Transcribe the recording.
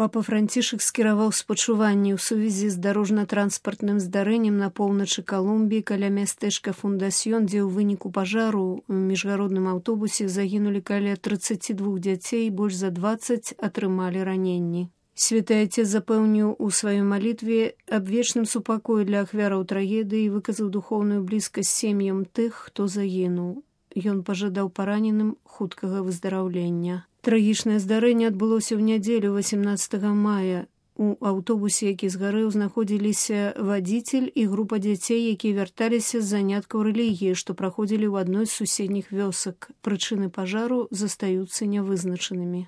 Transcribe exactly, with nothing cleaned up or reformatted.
Папа Францішак скіраваў спачуванні ў сувязі з дарожна-транспартным здарэннем на поўначы Калумбіі каля мястэчка Фундасьён, дзе ў выніку пажару ў міжгародным аўтобусе загінулі каля трыццаці двух дзяцей, больш за дваццаць атрымалі раненні. Святы Отец запэўніў у сваёй малітве аб вечным супакоі для ахвяраў трагедыі і выказаў духоўную блізкасць сем'ям тых, хто загінуў. Ён пажадаў параненым хуткага выздараўлення. Трагічнае здарэнне адбылося ў нядзелю васемнаццатага мая. У аўтобусе, які згарэў, знаходзіліся вадзіцель і група дзяцей, якія вярталіся з заняткаў рэлігіі, што праходзілі ў адной з суседніх вёсак. Прычыны пажару застаюцца нявызначанымі.